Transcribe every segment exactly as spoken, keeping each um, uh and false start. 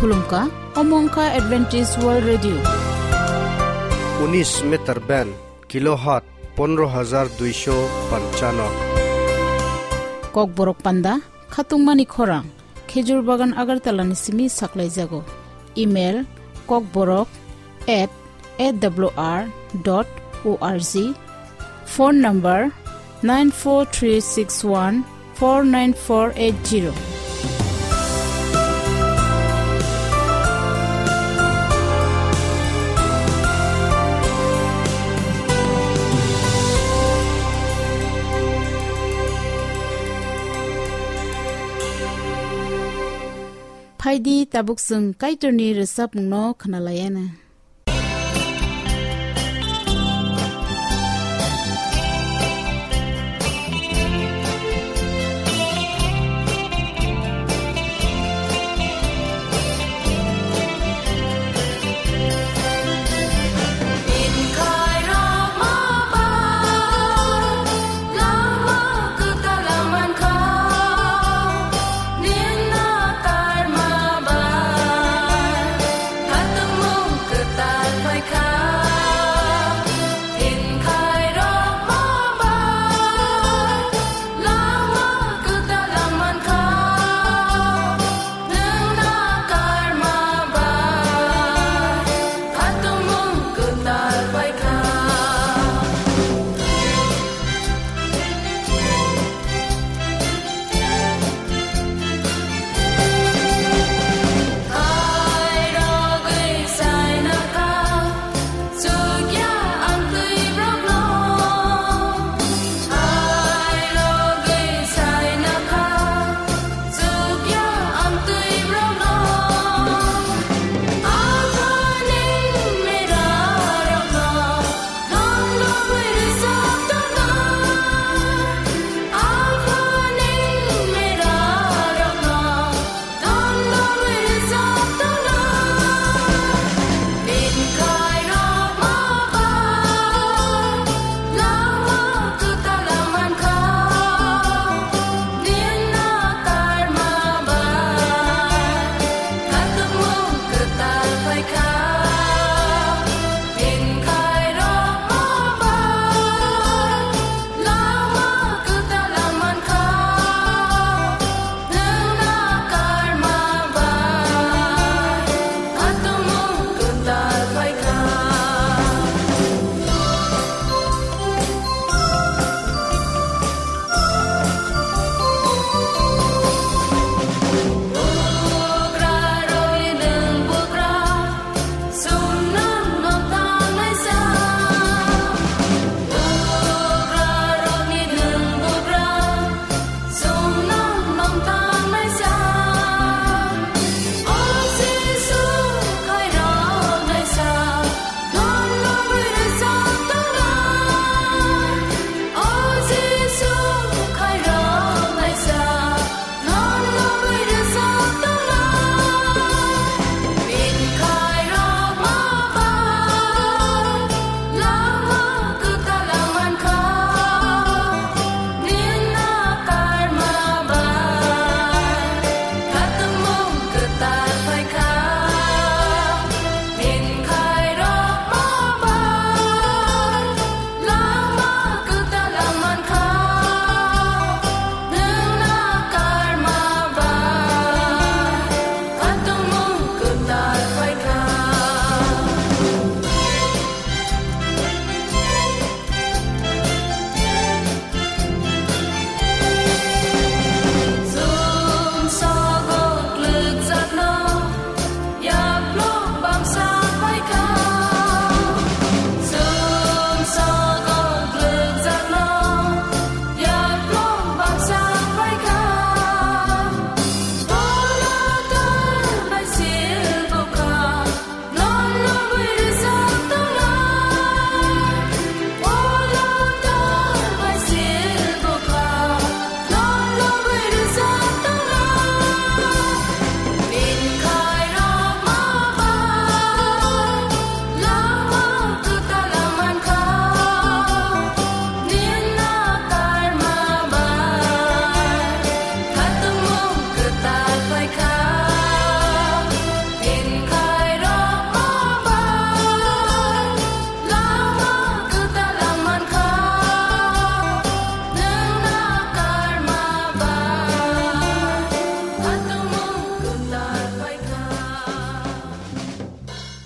Khulumkha, omo wngkha Adventist World Radio. Unis meter band, kilohertz pondro hajar duisho panchano. Kokborok panda, khatungmani khorang, Khejur Bagan Agartala ni simi saklaijago. Email, kokborok at A W R dot O R G. Phone number nine four three six one four nine four eight zero. Phaidi tabuk chwng Kaitorni rwchapmungno khwnalaiana. Lama kwtal mankha, nini karma bai, khatungmung kwtal.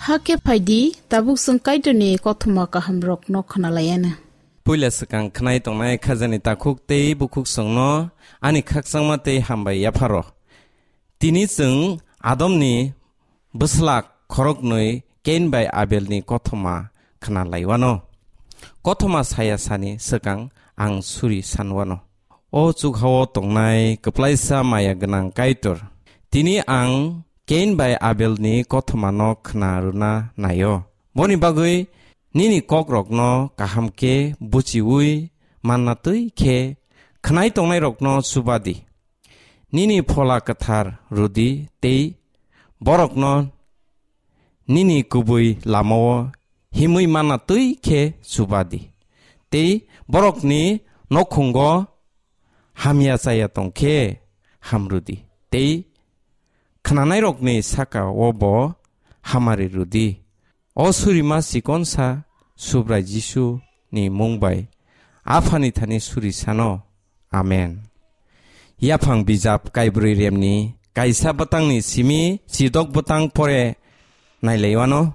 Hakhe phaidi, tabuk chwng Kaitorni kothoma kahamrokno khwnalaianw. Puila swkang khnai tongnai khajani takhuk tei bukhuk chwngno ani khakchangma tei hambai yapharo. Tini chwng Adomni bwsla khoroknwi Kain bai Abelni kothoma khna laiwano. Kothoma saya sani swkang ang suri sanwano. O chukhao tongnai kwplaisa maya gwnang Kaitor, tini ang Kain bai Abelni kothomano khna rwna naio. Boni bagwi nini kokrokno kaham khe buchiui manna twi khe khnai tongnairokno chuba di. Nini Phola Kwthar rw di tei borokno nini kubui lamao himwi manna twi khe chuba di. Tei borokni nokhungo hamya chaya tong khe ham rw di. Tei khnanairokni saka-o bo hamari rw di. O surima chikonsa Subrai Jisu ni mung bai Aphani thani suri sano. Amen. Yaphang bijap kaibrwi remni kaisa bwtangni simi chidok bwtang pore nailaiwano.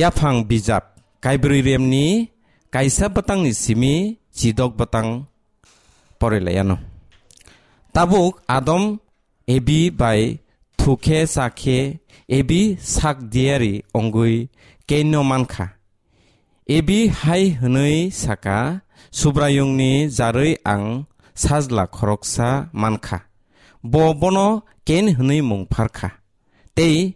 Yaphang bijap kaibrwi remni kaisa bwtangni simi chidok bwtang pore laiano. Tabuk Adam Ebi bai thukhe chakhe Ebi sak diari ongwi Kainno mankha. Ebi hai hwnwi saka, Subraiyungni jarwi ang sajla khoroksa mankha. Bo bono Kain hwnwi mung pharkha. Tei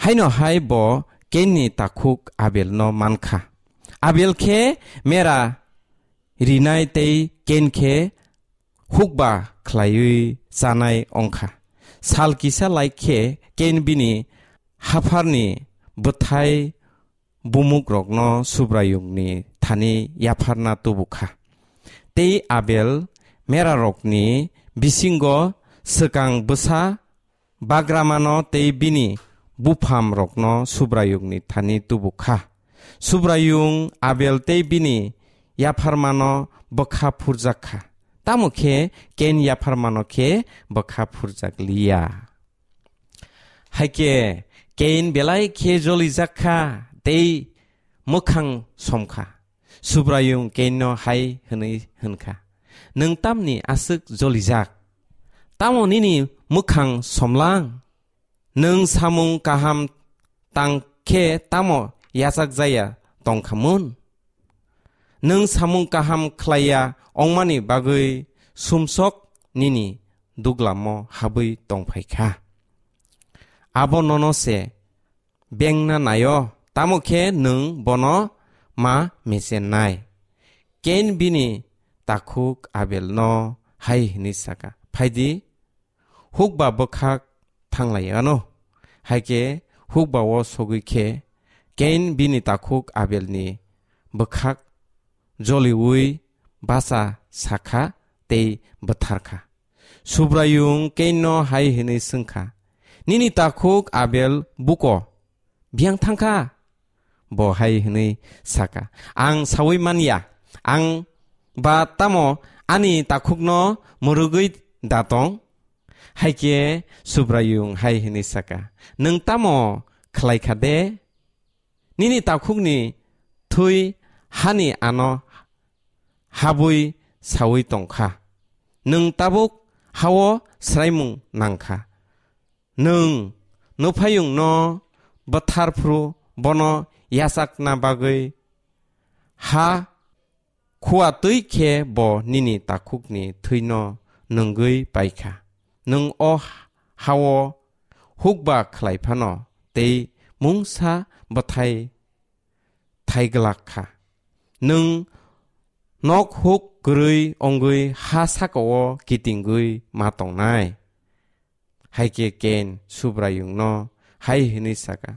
haino hai bo Kainni takhuk Abelno mankha. Abel khe mera rinai tei Kain khe hukba khlaiwi chanai ongkha. Sal kisa lai khe Kain bini hapharni bwthai bumukrokno Subraiyungni thani yapharna tubukha. Tei Abel merarokni bisingo swkang bwsa bagramano tei bini buphamrokno Subraiyungni thani tubukha. Subraiyung Abel tei bini yapharmano bwkha phurjak kha. Tamo khe Kain yapharmano khe bwkha phurjak liya. Hai khe Kain belai khe jolijak kha tei mwkhang somkha. Subraiyung Kainno hai hwnwi hwnkha, "Nwng tamni aswk jolijak? Tamo nini mwkhang somlang? Nwng samung kaham tang khe tamo yachak jaya tong kha mun? Nwng samung kaham khlaiya ongmani bagwi sumsok nini duglamo habwi tong phai kha. Abo nono se bengna naio, tamo khe nwng bono ma mechennai." Kain bini takhuk Abelno hai hwnwi saka, "Phaidi, hukba bwkhak thanglai ano." Hai khe hukba-o sogwi khe Kain bini takhuk Abelni bwkhak joliui bacha sakha tei bwtharkha. Subraiyung Kainno hai hwnwi swngkha, "Nini takhuk Abel buko biyang thangkha?" Bo hai hwnwi saka, "Ang saui man ya, ang ba tamo ani takhukno mwrwgwi da tong?" Hai khe Subraiyung hai hwnwi saka, "Nwng tamo khlai kha de? Nini takhukni thwi hani ano habwi saui tong kha. Nwng tabuk ha-o swraimung nang kha. Nwng nuphayungno bwthar phuru bono yachakna bagwi ha khua twi khe bo nini takhukni thwino nwngwi pai kha. Nwng o ha-o hukba khlai phano tei mungsa bwthai thai glak kha. Nwng nok huk kwrwi ongwi ha saka-o kitingwi ma tongnai." Hai khe Kain Subraiyungno hai hwnwi saka,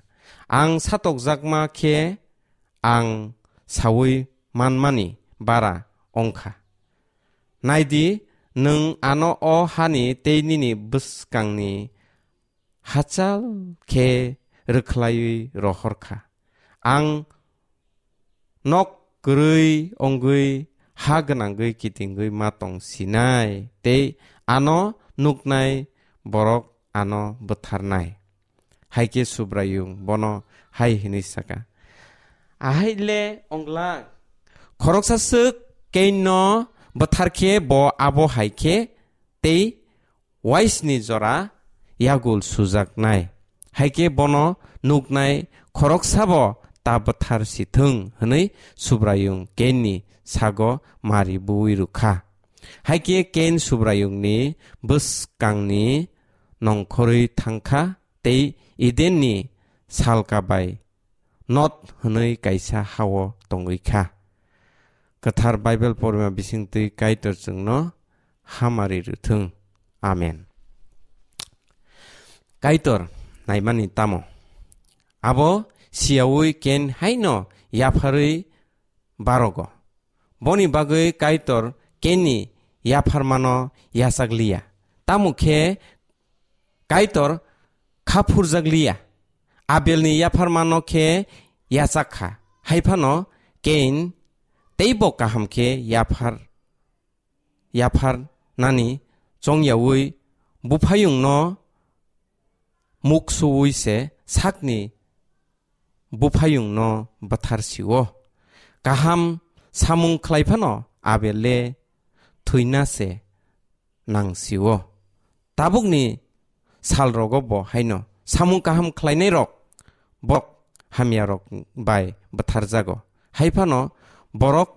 "Ang satokjakma khe ang saui manmani bara ong kha. Nai di, nwng ano o hani tei nini bwskangni hachal khe rwkhlaiwi rohor kha. Ang nok kwrwi ongwi ha gwnangwi kitingwi ma tong sinai tei ano nuknai borok ano bwtharnai." Hai khe Subraiyung bono hai hwnwi sa kha, "Ahai le ongla, khoroksa swk Kainno bwthar khe bo abo hai khe tei uaisni jora yagul sujaknai. Hai khe bono nuknai khoroksabo ta bwthar si thung," hwnwi Subraiyung Kainni sago mari buwi rw kha. Hai khe Kain Subraiyungni bwskangni nongkhorwi thang kha tei Edenni salka bai Nod hwnwi kaisa ha-o tongwi kha. Kwthar Baibel porima bisingtwi Kaitor chwngno hamari rwthwng. Amen. Kaitor naimani tamo? Abo siyaui Ken haino yapharwi barogo. Boni bagwi Kaitor Kenni yapharmano yachakliya. Tamo khe Kaitor khaphurjakliya. Abelni yapharmano khe yachak kha. Hai phano Kain teibo kaham khe yaphar, yaphar nani chongyaui buphayungno muksuui se sakni buphayungno bwthar sio. Kaham samung khlai phano Abel le thwina se nang sio. Tabukni sal rogo bo haino samung kaham khlainai rok bok hamya rok bai bwthar jago. Hai phano borok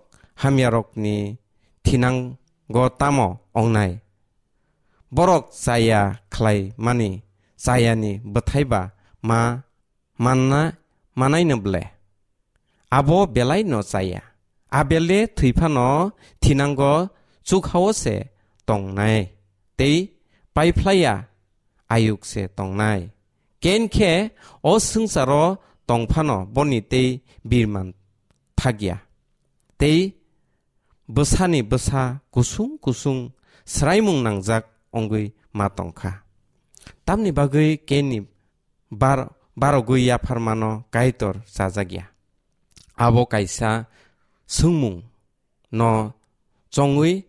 hamya rokni thinango tamo ongnai? Borok chaya khlai mani chayani bwthai ba ma manna manaino ble? Abo belai no chaya. Abel le thwi phano thinango chukhao se tongnai, tei paiphlaiya ayuk se tongnai. Ken khe o swngcharo tong phano boni tei birman thakya, tei bwsani bwsa kusung kusung swraimung nangjak wngwi ma tongkha. Tamni bagwi Kenni bar-, barogwi yapharmano Kaitor chajakya. Abo kaisa swngmung no chongwi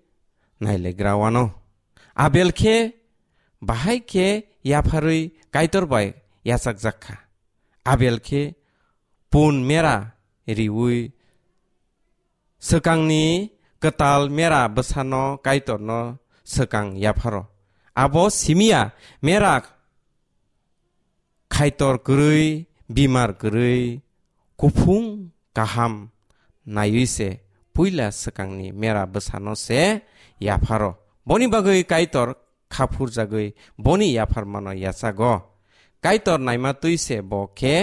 nailegra wano. Abel khe bahai khe yapharwi Kaitor bai yachakjak kha. Abel khe pun mera riui swkangni kwtal mera bwsano Kaitorno swkang yapharo. Abo simiya mera khaitor kwrwi, bimar kwrwi, kuphung kaham naiwi se puila swkangni mera bwsano se yapharo. Boni bagwi Kaitor khaphurjagwi boni yapharmano yachago. Kaitor naima twi se bo khe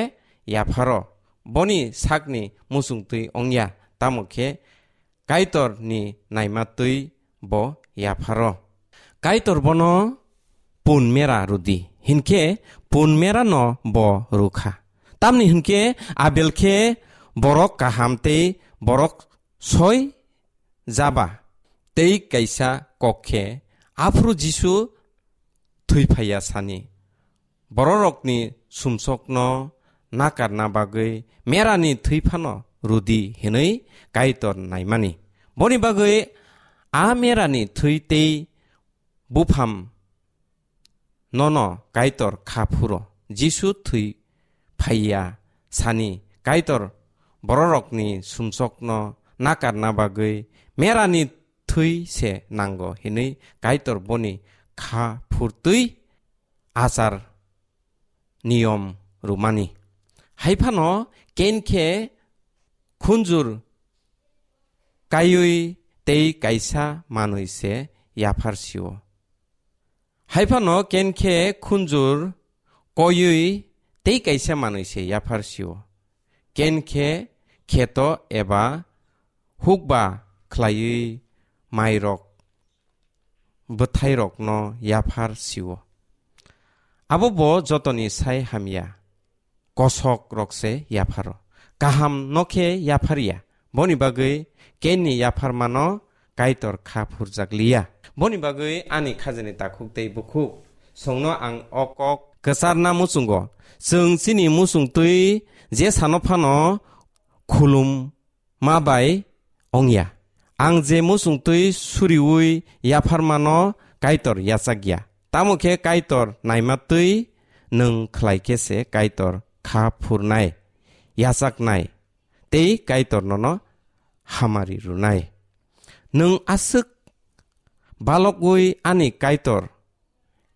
yapharo. Boni sakni muchung twi wngya, tamo khe Kaitorni naima twi bo yapharo. Kaitor bono pun mera rwdi, hinkhe pun merano bo rwkha. Tamni hinkhe Abel khe borok kaham tei borok soi jaba tei kaisa kok khe, aphuru Jisu thwi phaiya sani bororokni sumsokno nakarna bagwi merani thwi phano rwdi hinwi Kaitor naimani. Boni bagwi a merani thwi tei bupham nono Kaitor kha phuro. Jisu thwi phaiya sani Kaitor bororokni sumsokno nakarna bagwi merani thwi se nango hinwi Kaitor boni kha phurtwi achar niyom rwmani. Hai phano Ken khe khunjur kaiwi tei kaisa manwi se yaphar sio. Hai phano Ken khe khunjur koiwi tei kaisa manwi se yaphar sio. Ken khe kheto eba hukba khlaiwi mairok bwthairokno yaphar sio. Abo bo jotoni sai hamya kosok rok se yapharo. Kaham no khe yapharya. Boni bagwi Kenni yapharmano Kaitor kha phurjak liya. Boni bagwi ani khajani takhuk tei bukhuk songno ang o kok kwcharna muchungo. Chwng chini muchung twi je sano phano khulum ma bai ongya. Ang je muchung twi suriui yapharmano Kaitor yachakya. Tamo khe Kaitor naima twi nwng khlai khe se Kaitor kha phurnai, yachaknai, tei Kaitor nono hamari rwnai. Nwng aswk balokwi ani Kaitor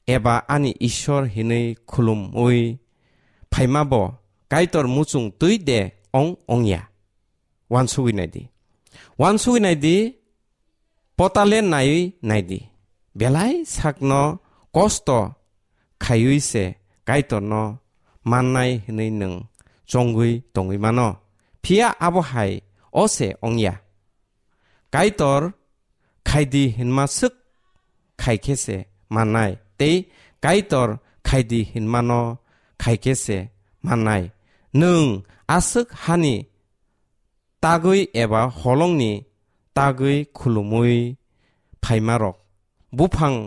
eba ani Ishwar hinwi khulumwi phaima bo Kaitor muchung twi de ong ongya? Wansugwi naidi. Wansugwi naidi, potale naiwi naidi. Belai sakno kosto khaiwi se Kaitorno mannai hinwi nwng chongwi tongwi mano. Phiya abo hai o se ongya. Kaitor khaidi hinma swk khai khe se mannai, tei Kaitor khaidi hinmano khai khe se mannai. Nwng aswk hani tagwi eba holongni tagwi khulumwi phaimarok, buphang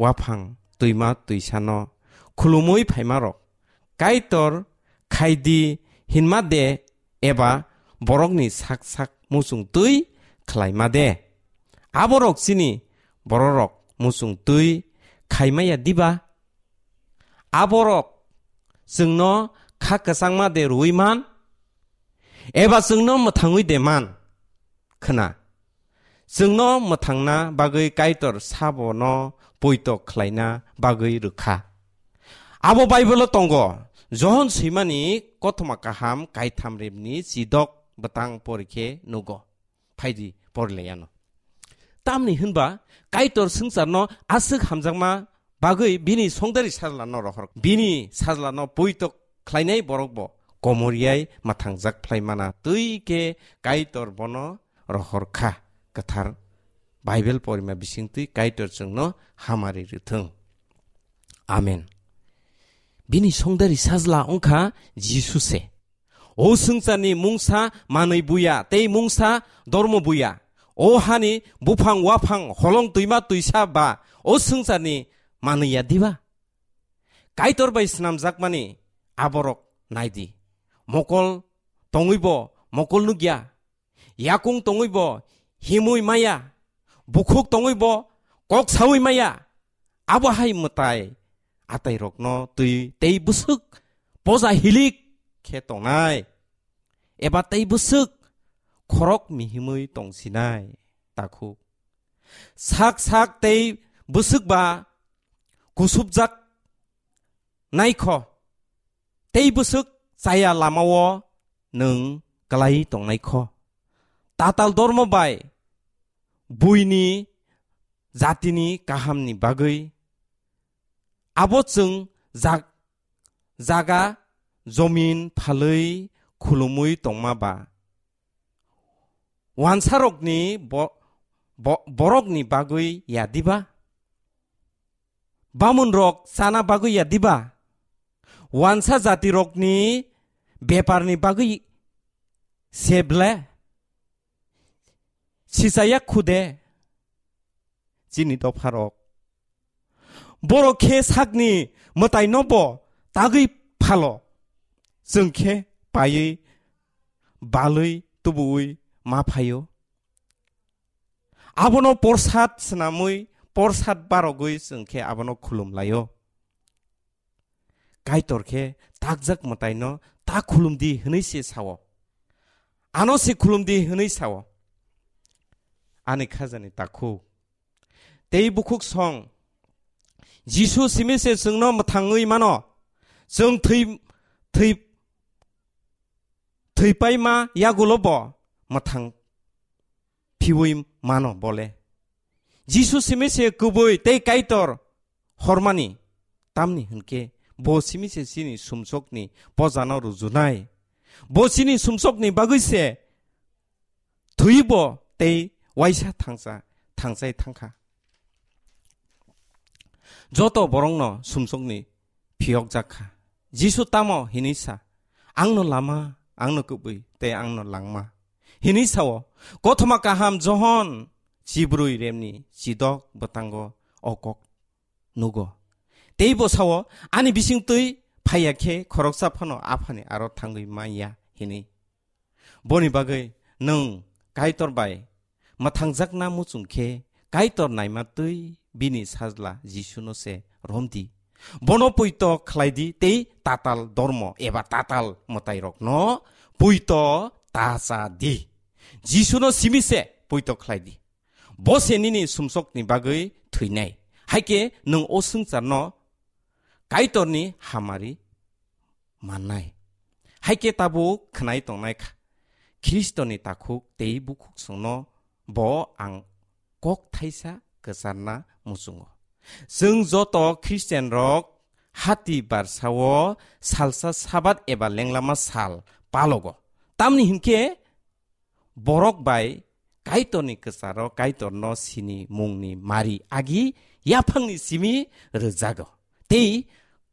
waphang twima twisano khulumwi phaimarok, Kaitor khaidi hinma de eba borokni sak sak muchung twi khlaima de? Aborok chini bororok muchung twi khaimaya diba? Aborok chwngno kha kwchangma de rwui man? Eba chwngno mwthangwi de man? Khna, chwngno mwthangna bagwi Kaitor sabono poito khlaina bagwi rwkha. Abo Bible-o tongo, Johon swimani kothoma kaham kaitham rebni chidok bwtang porikhe nugo. Phaidi porilaiano. Tamni hwnba Kaitor swngcharno aswk hamjakma bagwi bini songdari sajlano rohor. Bini sajlano poito khlainai borokbo komoriyai mwthangjak phlaimana twi khe Kaitor bono rohor kha. Kwthar Bible porima bisingtwi Kaitor chwngno hamari rwthwng. Amen. Bini songdari sajla wngkha Jisu se. O swngcharni mungsa manwi buya tei mungsa dormo buya. O hani buphang waphang holong twima twisa ba o swngcharni manwi ya diba? Kaitor bai snamjakmani aborok naidi. Mokol tongwibo mokol nukya. Yakung tongwibo himwi maya. Bukhuk tongwibo kok sawi maya. Abo hai mwtai atairokno twi tei bwswk poja hilik khe tongnai. Eba tei bwswk khorok mihimwi tongsinai. Takhuk. Sak sak tei bwswk ba kusupjak naikho. Tei bwswk chaya lamao nwng klai tongnaikho. Tatal dormo bai buini jatini kahamni bagwi abo chwng jak-, jaga jomin phalwi khulumwi tongma ba. Wansarokni bo-, bo-, borokni bagwi ya diba? Bamunrok chana bagwi ya diba? Wansa jatirokni beparni bagwi se ble? Sichaya khude chini dopharok. Borok khe sakni mwtaino bo tagwi phalo. Chwng khe paiwi, balwi, tubuwi ma phaio. Abono porsad swnamwi, porsad barogwi chwng khe abono khulum laio. Kaitor khe takjak mwtaino ta khulum di hwnwi se sao. Ano se khulum di hwnwi sao. Ani khajani takhuk. Tei bukhuk song. Jisu simi se chwngno mwthangwi mano. Chwng thwi, thwi, thwipaima yagulo bo mwthang phiwi mano bole. Jisu simi se kubui tei Kaitor hormani, tamni hwnkhe bo simi se chini sumsokni pojano rujunai. Bo chini sumsokni bagwi se thwibo tei waisa thangsa, thangchai thangkha. Joto borokno sumsokni phiyokjak kha. Jisu tamo hinwi sa, "Angno lama, angno kubui tei angno langma," hinwi sao. Kothoma kaham Johon chibrwi remni chidok bwtango o kok nugo. Tei bo sao, "Ani bisingtwi phaiya khe khoroksa phano Aphani aro thangwi manya," hinwi. Boni bagwi nwng Kaitor bai mwthangjakna muchung khe Kaitor naima twi bini sajla Jisuno se romdi. Bono poito khlai di tei tatal dormo eba tatal mwtairokno poito ta cha di. Jisuno simi se poito khlai di. Bo se nini sumsokni bagwi thwinai. Hai khe nwng o swngcharno Kaitorni hamari mannai. Hai khe tabuk khwnai tongnai kha, Khristoni takhuk tei bukhuksongno bo ang kok thaisa kwcharna muchungo. Chwng joto Khristianrok hati barsao salsa Sabat eba lenglama sal palogo. Tamni hinkhe borok bai Kaitorni kwcharo Kaitorno sini mungni mari agi yaphangni simi rwjago. Tei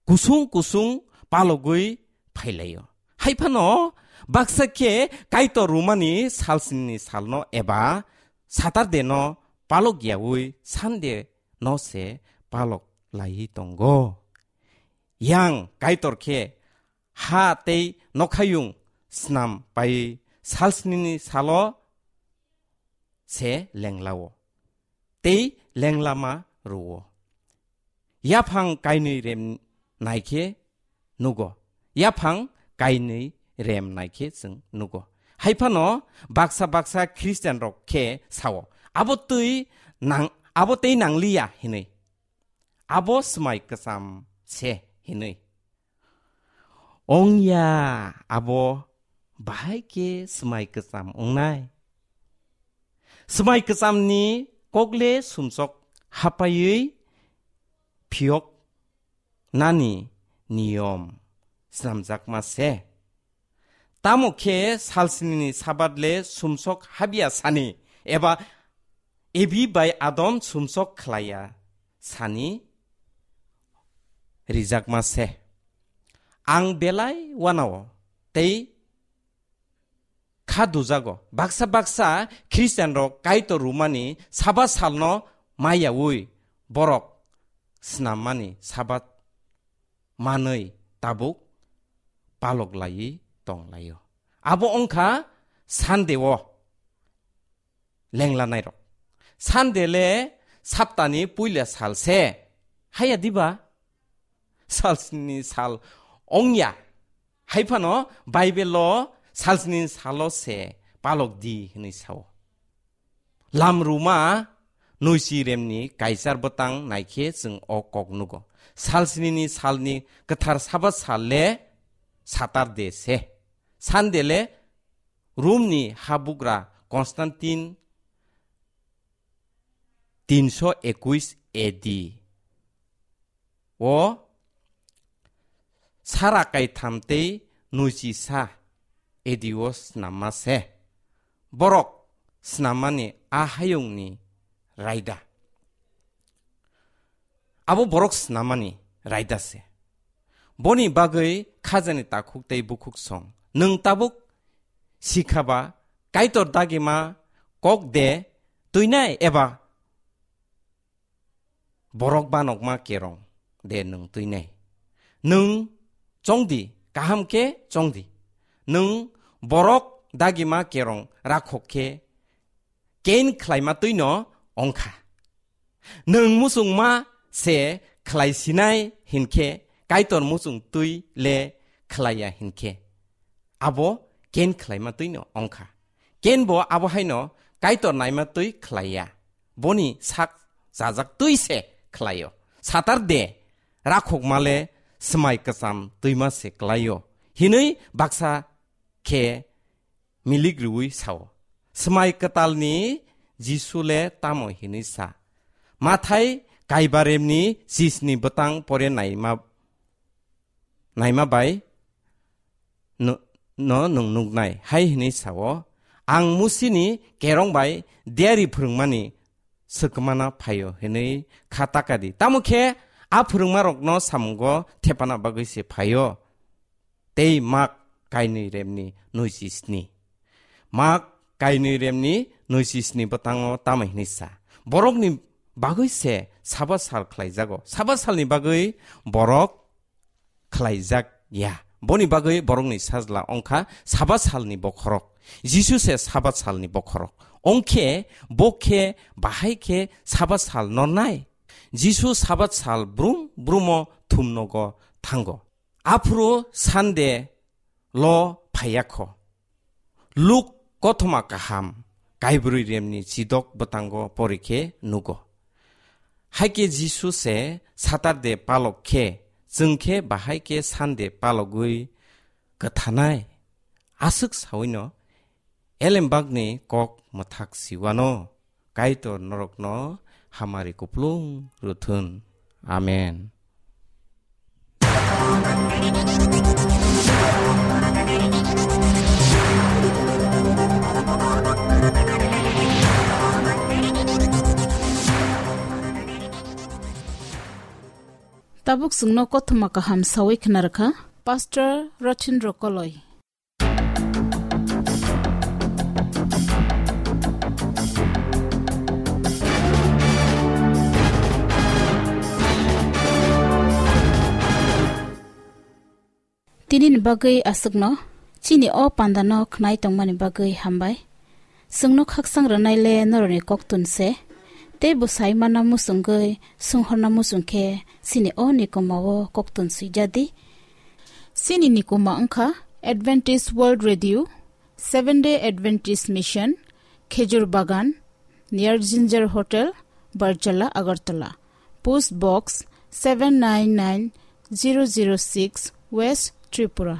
kusung kusung palogwi phailaio. Hai phano baksa khe Kaitor rwmani salsnini salno eba Saturday no palok yaui Sunday no se palok laiwi tongo. Yang Kaitor khe ha tei nokhayung snam pai salsnini salo se lenglao tei lenglama rwo. Yaphang kainwi rem naikhe nugo, yaphang kainwi rem naikhe chwng nugo. Hai phano baksa baksa Khristianrok khe sao, "Abo twi nang, abo tei nangliya," hinwi. Abo swmai kwcham se hinwi. Ongya, abo bahai khe swmai kwcham ongnai. Swmai kwchamni kokle sumsok hapaiwi phiyok nani niyom snamjakma se. Tamo khe salsnini Sabat le sumsok habya sani eba Ebi bai Adam sumsok khlaiya sani rijakma se. Ang belai wanao tei kha dujago. Baksa baksa Khristianrok Kaitor rwmani Sabat salno maiyaui borok snammani Sabat manwi tabuk palok laiwi tonglaio. Abo wngkha Sunday o lenglanairok. Sunday le saptani puila sal se. Haya diba? Salsni sal ongya. Hai phano Bible o salsni salo se palok di hinwi sao. Lamruma noisi remni kaichar bwtang naikhe chwng o kok nugo. Salsnini salni kwthar Sabat sal le Saturday se. Sunday le Romni habugra Constantine tinso ekuis A D o sara kaitham tei nuichisa A D o snamma se. Borok snammani a hayungni raida. Abo borok snammani raida se. Boni bagwi khajani takhuk tei bukhuk song. Nwng tabuk sikha ba Kaitor dagima kok de twinai eba borok banokma kerong de nwng twinai? Nwng chongdi, kaham khe chongdi. Nwng borok dagima kerong rakhok khe kein khlaima twino ongkha. Nwng muchungma se khlai sinai hinkhe, Kaitor muchung twi le khlaiya hinkhe, abo kein khlaima twino ongkha. Kein bo abo haino Kaitor naima twi khlaiya, boni sak chajak twi se khlaio. Saturday rakhokma le swmai kwcham twima se klaio hinwi baksa khe milik rwui sao. Swmai kwtalni Jisu le tamo hinwi sa? Mathai kaibaremni chisni bwtang pore naima, naima bai no, no nwng nuknai hai hinwi sao, "Ang Musini kerong bai diari phwrwngmani swkmana phaio," hinwi kha takadi. Tamo khe a phwrwngmarokno samungo thepana bagwi se phaio. Tei Mak kainwi remni nuichi sni. Mak kainwi remni nuichi sni bwtango tamo hinwi sa? Borokni bagwi se Sabat sal khlaijago. Sabat salni bagwi borok khlaijak ya. Boni bagwi borokni sajla ongkha Sabat salni bokhorok. Jisu se Sabat salni bokhorok. Ongkhe bo khe bahai khe Sabat sal nornai? Jisu Sabat sal brum brumo thumnogo thango. Aphuru Sunday lo phaiya kho. Luk kothoma kaham kaibrwi remni chidok bwtango porikhe nugo. Haikhe Jisu se Saturday palok khe, chwng khe bahai khe Sunday palogwi kwthanai. Aswk sawino elembakni kok mwthak siwano. Kaitor norokno hamari kuplung rwthun. Amen. Tabuk chwngno kothoma kaham sawi khna rwkha Pastor Rothin Rokoloi. Tinini bagwi aswkno, chini o pandano khnai tongmani bagwi hambai. Chwngno khaksang rwnaile norokni koktun se, tei bwsai mana muchungwi sunghorna muchung khe chini o nikoma o koktun swijadi. Chini nikoma wngkha Adventist World Radio, Seven Day Adventist Mission, Khejur Bagan, near Ginger Hotel, Barjala, Agartala. Post Box seven nine nine zero zero six, West Tripura.